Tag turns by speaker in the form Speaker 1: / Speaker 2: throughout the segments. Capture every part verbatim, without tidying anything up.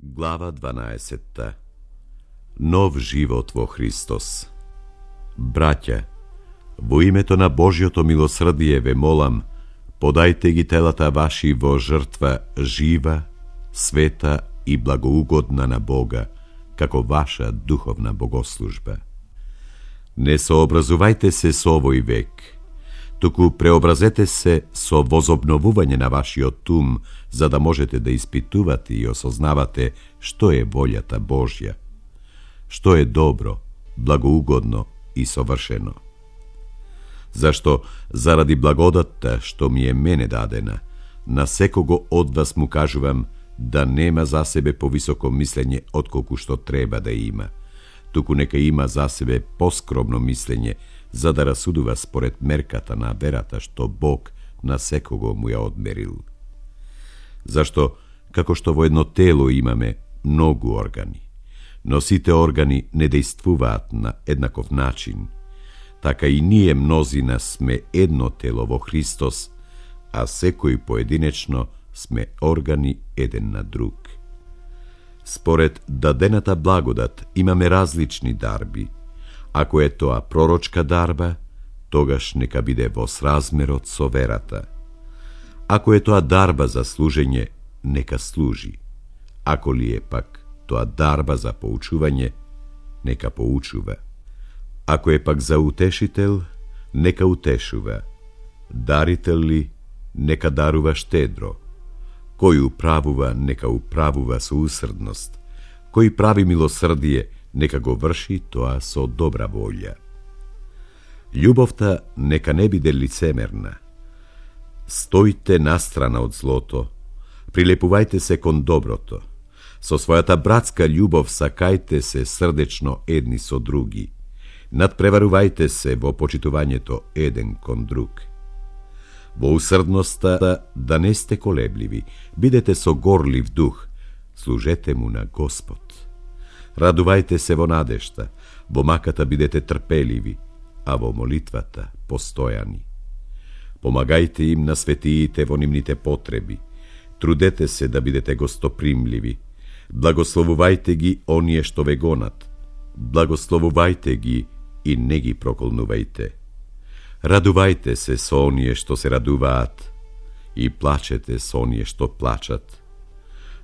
Speaker 1: Глава дванаесетта. Нов живот во Христос. Браќа, во името на Божјото милосрдие ве молам, подајте ги телата ваши во жртва жива, света и благоугодна на Бога, како ваша духовна богослужба. Не сообразувајте се со овој век, туку преобразете се со возобновување на вашиот ум, за да можете да испитувате и осознавате што е волјата Божја, што е добро, благоугодно и совршено. Зашто, заради благодатта што ми е мене дадена, на секого од вас му кажувам да нема за себе повисоко мислење отколку што треба да има, туку нека има за себе поскромно мислење, за да расудува според мерката на верата што Бог на секого му ја одмерил. Зашто, како што во едно тело имаме многу органи, но сите органи не дејствуваат на еднаков начин, така и ние мнозина сме едно тело во Христос, а секој поединечно сме органи еден на друг. Според дадената благодат имаме различни дарби. Ако е тоа пророчка дарба, тогаш нека биде во сразмерот со верата. Ако е тоа дарба за служење, нека служи. Ако ли е пак тоа дарба за поучување, нека поучува. Ако е пак за утешител, нека утешува. Дарител ли, нека дарува штедро. Кој управува, нека управува со усрдност. Кој прави милосрдие, нека го врши тоа со добра волја. Љубовта нека не биде лицемерна. Стојте настрана од злото, прилепувајте се кон доброто. Со својата братска љубов сакајте се срдечно едни со други. Надпреварувајте се во почитувањето еден кон друг. Во усрдноста да не сте колебливи, бидете со горлив дух, служете му на Господ. Радувајте се во надежта, во маката бидете трпеливи, а во молитвата постојани. Помагајте им на светиите во нивните потреби, трудете се да бидете гостопримливи, благословувајте ги оние што ве гонат, благословувајте ги и не ги проколнувајте. Радувајте се со оние што се радуваат и плачете со оние што плачат.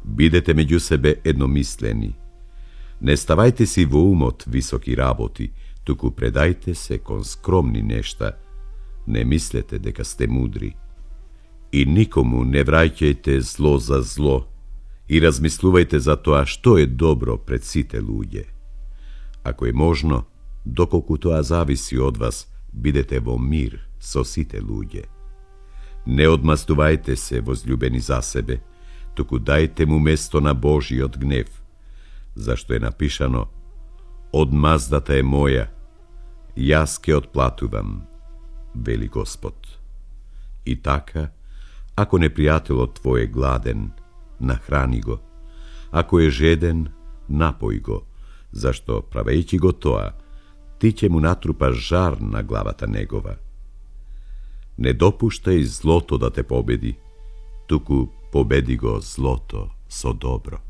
Speaker 1: Бидете меѓу себе едномислени. Не ставајте си во умот високи работи, туку предајте се кон скромни нешта. Не мислете дека сте мудри. И никому не враќајте зло за зло и размислувајте за тоа што е добро пред сите луѓе. Ако е можно, доколку тоа зависи од вас, бидете во мир со сите луѓе. Не одмастувајте се возљубени за себе, туку дајте му место на Божиот гнев, зашто е напишано: одмаздата е моја, јас ке отплатувам, вели Господ. И така, ако непријателот твој е гладен, нахрани го, ако е жеден, напој го, зашто правејќи го тоа, ти ќе му натрупаш жар на главата негова. Не допуштај злото да те победи, туку победи го злото со добро.